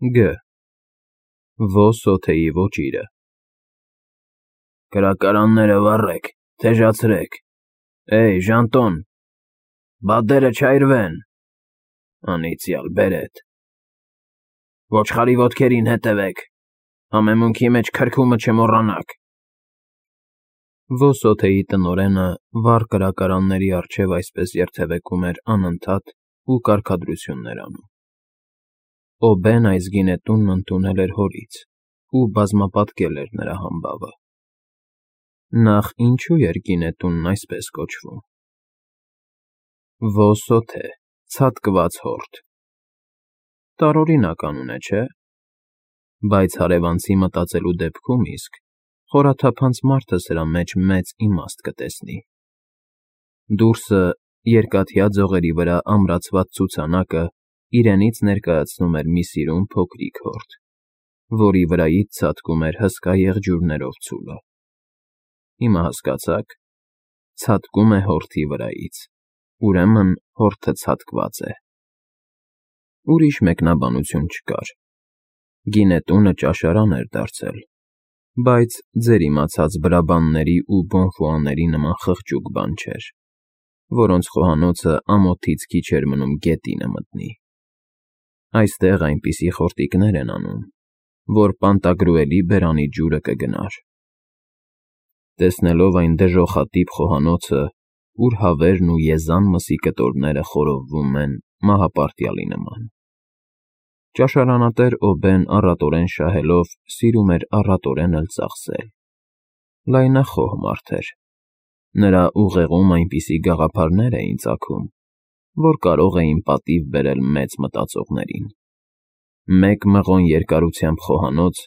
Գ. Ոսոթեի ոճիրը։ Կրակարանները վառեք, թեժացրեք, Ժանտոն, բադերը չայրվեն, անիծյալ բերետ, ոչխարի ոտքերին հետևեք, համեմունքի մեջ քրքումը չմոռանաք։ Ոսոթեի տնօրենը վառ կրակարանների առջև այսպես երթևեկում էր անընդհատ ու կարգադրություններ անում։ Օբեն այս գինետունն ընդունել էր հորից ու բազմապատկել էր նրա համբավը։ Նախ ինչու էր գինետունն այսպես կոչվում։ Ոսոթե, ցատկված հորթ։ Տարօրինակ անուն է, չէ՞։ Բայց հարևանցի մտածելու դեպքում իսկ խորաթափանց մարդը սրա մեջ մեծ իմաստ կտեսնի։ Դուրսը երկաթյա ձողերի վրա ամրացված ցուցանակը իրենից ներկայացնում էր մի սիրուն փոքրիկ հորթ, որի վրայից ցատկում էր հսկա եղջյուրներով ցուլը։ Հիմա հասկացա՞ք, ցատկում է հորթի վրայից, ուրեմն հորթը ցատկված է։ Ուրիշ մեկնաբանություն չկար։ Գինետունը ճաշարան էր դարձել, բայց ձեր իմացած բրաբանների ու բոնֆուաների նման խղճուկ բան չէր, որոնց խոհանոցը ամոթից քիչ էր մնում գետինը մտնի։ Այստեղ այնպիսի խորտիկներ են անում, որ պանտագրուելի բերանի ջուրը կգնար։ Տեսնելով այն դժոխատիպ խոհանոցը, ուր հավերն ու եզան մսի կտորները խորովվում են մահապարտյալի նման, ճաշարանատեր Օբեն առատորեն շահելով սիրում էր առատորեն էլ ծախսել։ Լայնախոհ մարդ էր։ Նրա ուղեղում այնպիսի գաղափարներ էին ծագում, որ կարող էին պատիվ բերել մեծ մտածողներին։ 1 մղոն երկարությամբ խոհանոց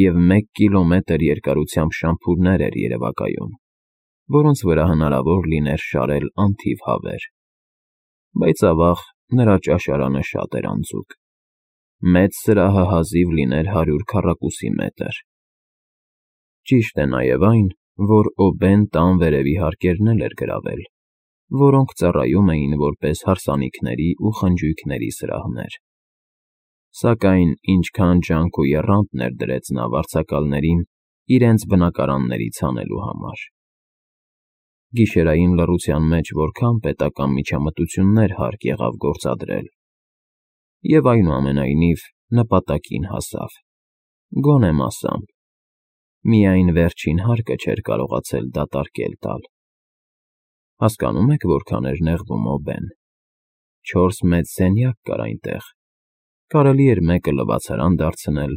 և 1 կիլոմետր երկարությամբ շամփուրներ էր երևակայում, որոնց վրա հնարավոր լիներ շարել անթիվ հավեր։ Բայց ավաղ նրա ճաշարանը շատ էր անձուկ։ Մեծ սրահը հազիվ լիներ 100 քառակուսի մետր։ Ճիշտ է նաև այն, որ Օբեն տան վերևի հարկերն էր գրավել, որոնք ծառայում էին որպես հարսանիքների ու խնջույքների սրահներ։ Սակայն ինչքան ջանք ու եռանդ ներդրեց նա վարձակալներին իրենց բնակարաններից հանելու համար։ Գիշերային լռության մեջ որքան պետական միջամտություններ հարկ եղավ գործադրել։ Եվ այնուամենայնիվ նպատակին հասավ, գոնե մասամբ, միայն վերջին հարկը չէր կարողացել դատարկել տալ։ Հասկանո՞ւմ եք որքան էր նեղվում Օբեն։ 4 մեծ սենյակ կար այնտեղ, կարելի էր մեկը լվացարան դարձնել,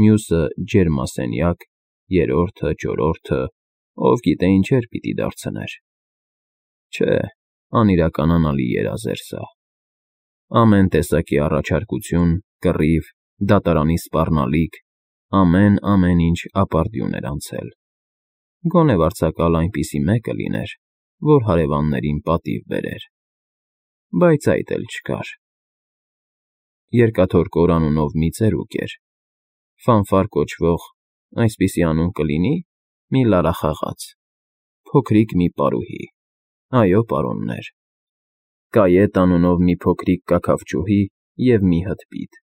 մյուսը ջերմասենյակ, երրորդը, չորրորդը, ով գիտե ինչեր պիտի դարձներ։ Չէ, անիրականանալի երազ էր սա։ Ամեն տեսակի առաջարկություն, կռիվ, դատարանի սպառնալիք, ամեն ինչ ապարդյուն էր անցել։ Գոնե վարձակալ այնպիսի մեկը լիներ, որ հարևաններին պատիվ բերեր։ Բայց այդ էլ չկար։ Երկաթորկոր անունով մի ծերուկ էր, Ֆանֆար կոչվող, այսպիսի անուն կլինի, մի լարախաղաց, փոքրիկ մի պարուհի, այո, պարոններ, Կայետ անունով մի փոքրիկ կաքավչուհի և մի հտպիտ,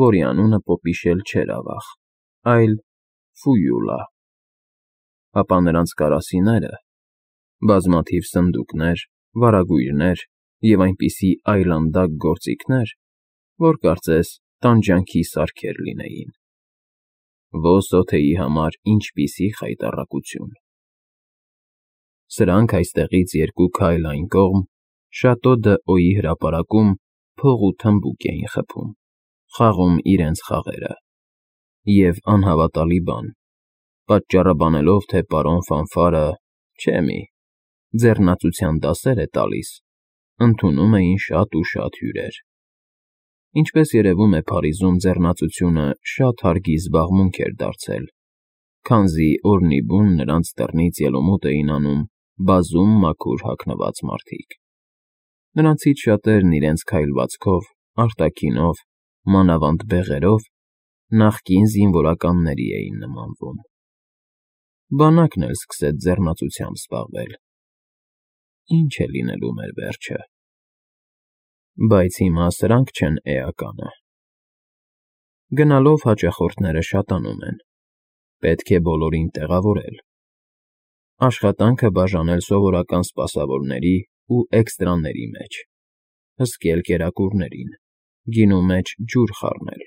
որի անունը պոպիշել չէր ավաղ, այլ Ֆույուլա։ Ապա նրանց կարասիները, բազմաթիվ սնդուկներ, վարագույրներ և այնպիսի այլանդակ գործիքներ, որ կարծես տանջանքի սարքեր լինեին։ Ոսոթեի համար ինչպիսի խայտառակություն։ Սրանք այստեղից 2 քայլ այն կողմ, Շատո դ'Օյի հրապարակում փող ու թմբուկ էին խփում, խաղում իրենց խաղերը։ Եվ անհավատալի բան, պատճառը բանելով, թե պարոն Ֆանֆարը, չէ մի, ձեռնացության դասեր է տալիս, ընդունում էին շատ ու շատ հյուրեր։ Ինչպես երևում է, Փարիզում ձեռնացությունը շատ հարգի զբաղմունք էր դարձել, քանզի օրնի բուն նրանց դռնից ելումուտ էին անում բազում մաքուր հագնված մարդիկ։ Նրանցից շատերն իրենց քայլվածքով, արտաքինով, մանավանդ բեղերով նախկին զինվորականների էին նմանվում։ Բանակն էլ սկսեց ձեռնացությամբ զբաղվել։ Ինչ է լինելու մեր վերջը։ Բայց հիմա սրանք չեն էականը։ Գնալով հաճախորդները շատանում են, պետք է բոլորին տեղավորել, աշխատանքը բաժանել սովորական սպասավորների ու էքստրաների մեջ, հսկել կերակուրներին, գինու մեջ ջուր խառնել,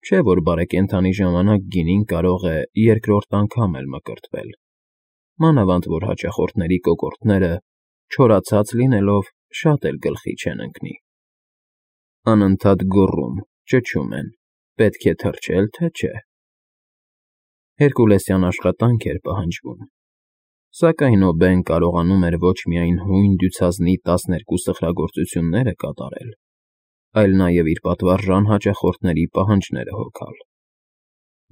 չէ՞ որ բարեկենդանի ժամանակ գինին կարող է երկրորդ անգամ էլ մկրտվել, մանավանդ որ հաճախորդների կոկորդները, չորացած լինելով, շատ էլ գլխի չեն ընկնի։ Անընդհատ գոռում, ճչում են, պետք է թրջել, թե չէ։ Հերկուլեսյան աշխատանք էր պահանջվում, սակայն Օբեն կարողանում էր ոչ միայն հույն դյուցազնի 12 սխրագործությունները կատարել, այլ նաև իր պատվարժան հաճախորդների պահանջները հոգալ։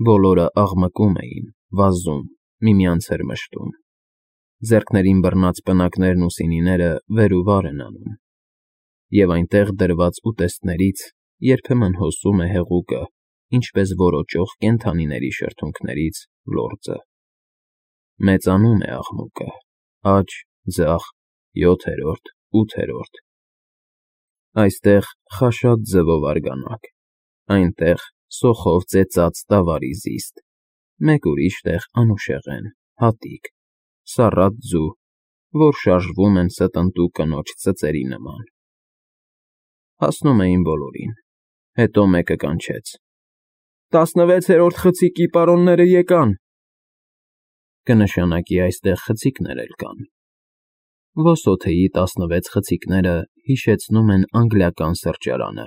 Բոլորը աղմկում էին, վազում, միմյանց էր մշտում, ձեռքներին բռնած պնակներն ու սինիները վեր ու վար են անում, և այնտեղ դրված ուտեստներից երբեմն հոսում է հեղուկը, ինչպես որոճող կենդանիների շրթունքներից լորձը։ Մեծանում է աղմուկը, աջ, ձախ, 7-րդ, 8-րդ։ Այստեղ խաշած ձվով արգանակ, այնտեղ սոխով ծեծած տավարի զիստ, մեկ ուրիշ տեղ անուշեղեն, հատիկ, սառած ձու, որ շարժվում են ստընտու կնոջ ծծերի նման։ Հասնում էին բոլորին, հետո մեկը կանչեց. 16-րդ խցիկի պարոնները եկան։ Կնշանակի այստեղ խցիկներ էլ կան։ Ոսոթեի 16 խցիկները հիշեցնում են անգլիական սրճարանը։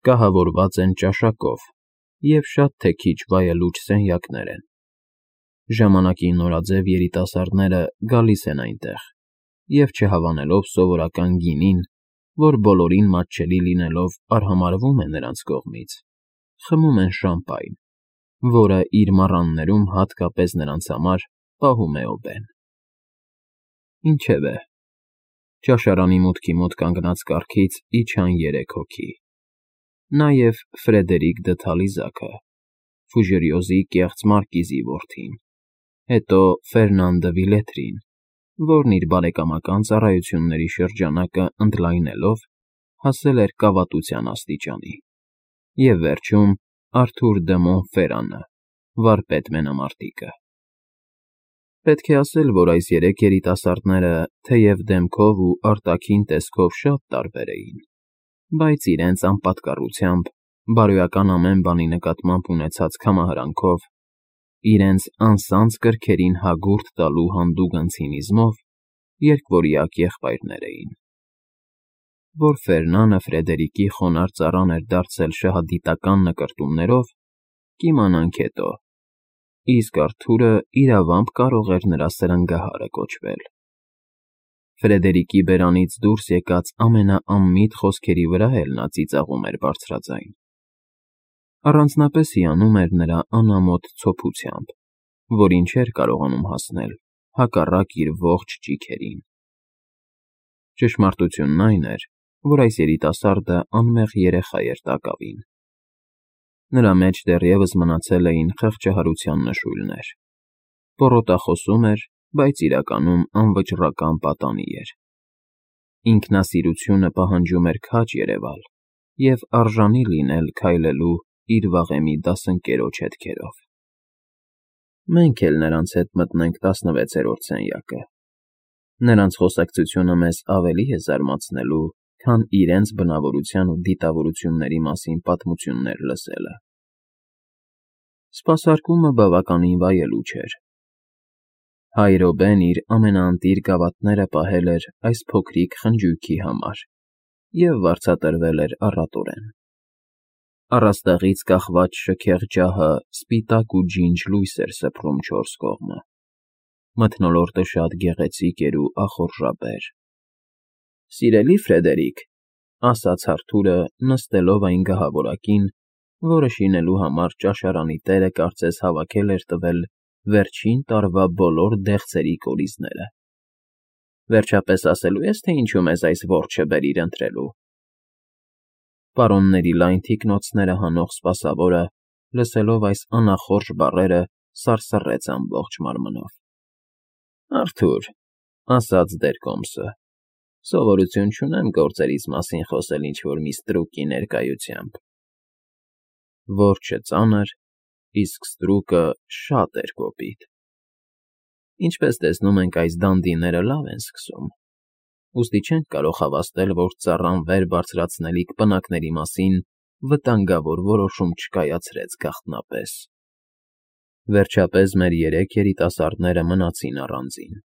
Կահավորված են ճաշակով և շատ թե քիչ վայելուչ սենյակներ են։ Ժամանակի նորաձև երիտասարդները գալիս են այնտեղ և չհավանելով սովորական գինին, որ բոլորին մատչելի լինելով արհամարհվում է նրանց կողմից, խմում են շամպայն, որը իր մառաններում հատկապես նրանց համար պահում է Օբեն։ Ինչևէ, ճաշարանի մուտքի մոտ կանգնած կառքից իջան 3 հոգի, նաև Ֆրեդերիկ Դթալիզակը, Ֆուժերյոզի կեղծ մարկիզի որդին, հետո Ֆերնան դը Վիլետրին, որն իր բարեկամական ծառայությունների շրջանակը ընդլայնելով հասել էր կավատության աստիճանի, և վերջում Արթուր դը Մոնֆերանը, վարպետ մենամարտիկը։ Պետք է ասել, որ այս 3 երիտասարդները, թեև դեմքով ու արտաքին տեսքով շատ տարբեր էին, բայց իրենց անպատկառությամբ, բարոյական ամեն բանի նկատմամբ ունեցած կամահարանքով, իրենց անսանձ կրքերին հագուրդ տալու հանդուգն ցինիզմով երկվորյակ եղբայրներ էին։ Որ Ֆերնանը Ֆրեդերիկի խոնարհ ծառան էր դարձել շահադիտական նկրտումներով, կիմանանք հետո, իսկ Արթուրը իրավամբ կարող էր նրա սրնգահարը կոչվել։ Ֆրեդերիկի բերանից դուրս եկած ամենաանմիտ խոսքերի վրա էլ նա ծիծաղում էր բարձրաձայն։ Առանձնապես հիանում էր նրա անամոթ ցոփությամբ, որին չէր կարողանում հասնել հակառակ իր ողջ ճիգերին։ Ճշմարտությունն այն էր, որ այս երիտասարդը անմեղ երեխա էր տակավին։ Նրա մեջ դեռևս մնացել էին խղճահարության նշույլներ։ Պոռոտախոսում էր, բայց իրականում անվճռական պատանի էր։ Ինքնասիրությունը պահանջում էր քաջ երևալ և արժանի լինել քայլելու իր վաղեմի դասընկերոջ հետքերով։ Մենք էլ նրանց հետ մտնենք 16-րդ սենյակը։ Նրանց խոսակցությունը մեզ ավելի է զարմացնելու, քան իրենց բնավորության ու դիտավորությունների մասին պատմություններ լսելը։ Սպասարկումը բավականին վայելուչ էր։ Հայր Օբեն իր ամենաընտիր գավաթները պահել էր այս փոքրիկ խնջույքի համար և վարձատրվել էր առատորեն։ Առաստաղից կախված շքեղ ջահը սպիտակ ու ջինջ լույս էր սփռում 4 կողմը։ Մթնոլորտը շատ գեղեցիկ էր ու ախորժաբեր։ Սիրելի Ֆրեդերիկ, ասաց Արթուրը, նստելով այն գահավորակին, որը շինելու համար ճաշարանի տերը կարծես հավաքել էր տվել վերջին տարվա բոլոր դեղցերի կորիզները։ Վերջապես ասելու ես, թե ինչու մեզ այս որջը բերիր ընտրելու։ Պարոնների լայն թիկնոցները հանող սպասավորը, լսելով այս անախորժ բառերը, սարսռեց ամբողջ մարմնով։ Արթուր, ասաց Դերկոմսը, սովորություն չունեմ գործերիս մասին խոսել ինչ֊որ մի ստրուկի ներկայությամբ։ որջը ծանր, իսկ ստրուկը շատ էր կոպիտ։ Ինչպես տեսնում ենք, այս դանդիները լավ են սկսում, ուստի չենք կարող հավաստել, որ ծառան վեր բարձրացնելիք պնակների մասին վտանգավոր որոշում չկայացրեց գաղտնապես։ Վերջապես մեր երեք երիտասարդները մնացին առանձին։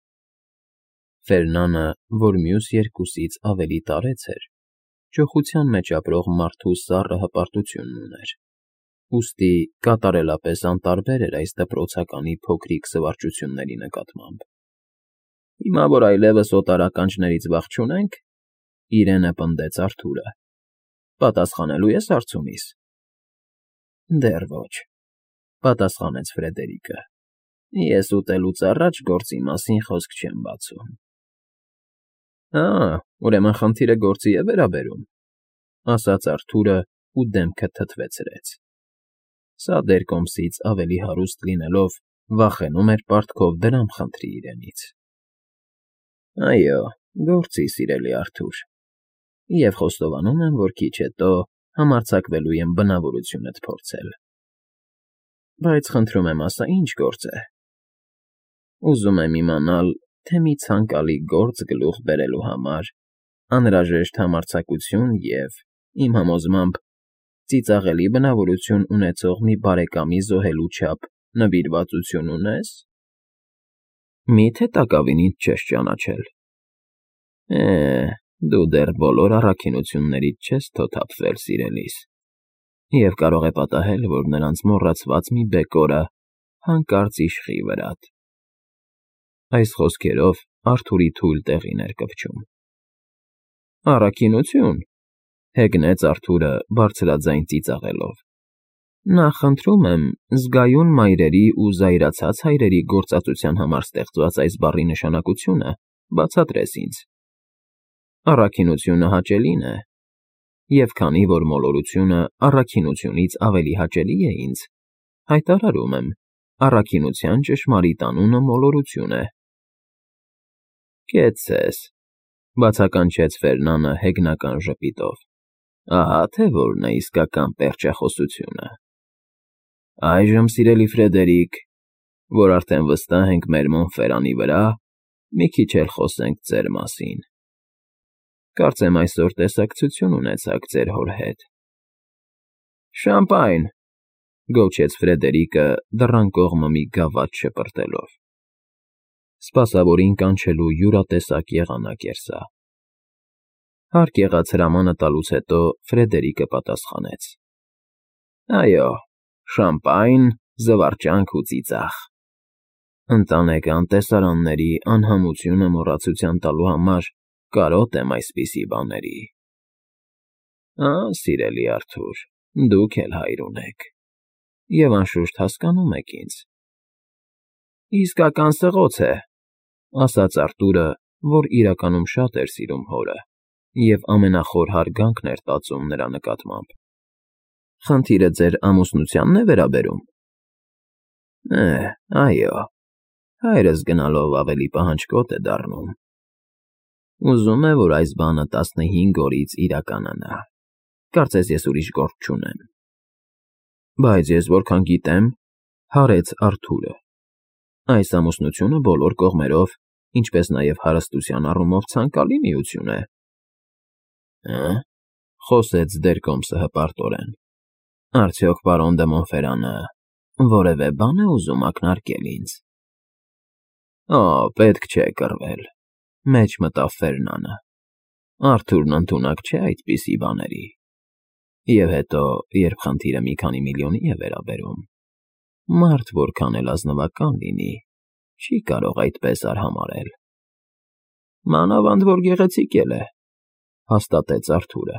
Ֆերնանը, որ մյուս երկուսից ավելի տարեց էր, ճոխության մեջ ապրող մարդու սառը հպարտությունն ուներ, ուստի կատարելապես անտարբեր էր այս դպրոցականի փոքրիկ զվարճությունների նկատմամբ։ Հիմա, որ այլևս օտար ականջներից վախ չունենք, իրենը պնդեց Արթուրը, պատասխանելու ես հարցումիս։ Դեռ ոչ, պատասխանեց Ֆրեդերիկը։ Ես ուտելուց առաջ գործի մասին խոսք չեմ բացում։ Ուրեմն խնդիրը գործի է վերաբերում, ասաց Արթուրը ու դեմքը թթվեցրեց։ Սա դերկոմսից ավելի հարուստ լինելով, վախենում էր պարտքով դրամ խնդրի իրենից։ Այո, գործի, սիրելի Արթուր, և խոստովանում եմ, որ քիչ հետո համարձակվելու եմ բնավորությունդ փորձել։ Բայց խնդրում եմ, ասա, ինչ գործ է։ Ուզում եմ իմանալ, թե մի ցանկալի գործ գլուխ բերելու համար անհրաժեշտ համարձակություն և, իմ համոզմամբ, ծիծաղելի բնավորություն ունեցող մի բարեկամի զոհելու չափ նվիրվածություն ունես։ Մի՞թե տակավինիդ չես ճանաչել։ Դու դեռ բոլոր առաքինություններից չես թոթափվել, սիրելիս, և կարող է պատահել, որ նրանց մոռացված մի բեկորը հանկարծ իշխի վրադ։ Այս խոսքերով Արթուրի թույլ տեղին էր կպչում։ Առաքինություն, հեգնեց Արթուրը բարձրաձայն ծիծաղելով։ Նախ խնդրում եմ, զգայուն մայրերի ու զայրացած հայրերի գործածության համար ստեղծված այս բառի նշանակությունը բացատրես ինձ։ Առաքինությունը հաճելին է, և քանի որ մոլորությունը առաքինությունից ավելի հաճելի է ինձ, հայտարարում եմ, առաքինության ճշմարիտ անունը մոլորություն է։ Կեցցես, բացականչեց Ֆերնանը հեգնական ժպիտով։ Ահա թե որն է իսկական պերճախոսությունը։ Այժմ, սիրելի Ֆրեդերիկ, որ արդեն վստահ ենք մեր Մոնֆերանի վրա, մի քիչ էլ խոսենք ձեր մասին։ Կարծեմ այսօր տեսակցություն ունեցաք ձեր հոր հետ։ Շամպայն, գոչեց Ֆրեդերիկը դռան կողմը մի գավաթ շպրտելով։ Սպասավորին կանչելու յուրատեսակ եղանակ էր սա։ Հարկ եղած հրամանը տալուց հետո Ֆրեդերիկը պատասխանեց. Այո, շամպայն, զվարճանք ու ծիծաղ։ Ընտանեկան տեսարանների անհամությունը մոռացության տալու համար կարոտ եմ այսպիսի բաների։ Սիրելի Արթուր, դուք էլ հայր ունեք, և անշուշտ հասկանում եք ինձ։ Իսկական սղոց է, ասաց Արթուրը, որ իրականում շատ էր սիրում հորը և ամենախոր հարգանքն էր տածում նրա նկատմամբ։ Խնդիրը ձեր ամուսնությանն է վերաբերում։ Այո, հայրս գնալով ավելի պահանջկոտ է դառնում։ Ուզում է, որ այս բանը 15 օրից իրականանա։ Կարծես ես ուրիշ գործ չունեմ։ Բայց ես որքան գիտեմ, հարեց Արթուրը, այս ամուսնությունը բոլոր կողմերով, ինչպես նաև հարստության առումով ցանկալի միություն է։ Խոսեց դերկոմսը հպարտորեն։ Արդյոք պարոն դը Մոնֆերանը որևէ բան է ուզում ակնարկել ինձ։ Պետք չէ կռվել, մեջ մտավ Ֆերնանը։ Արթուրն ընդունակ չէ այդպիսի բաների։ Եվ հետո, երբ խնդիրը մի քանի միլիոնի է վերաբերում, մարդ որքան էլ ազնվական լինի, չի կարող այդպես արհամարհել։ Մանավանդ որ գեղեցիկ էլ է, հաստատեց Արթուրը։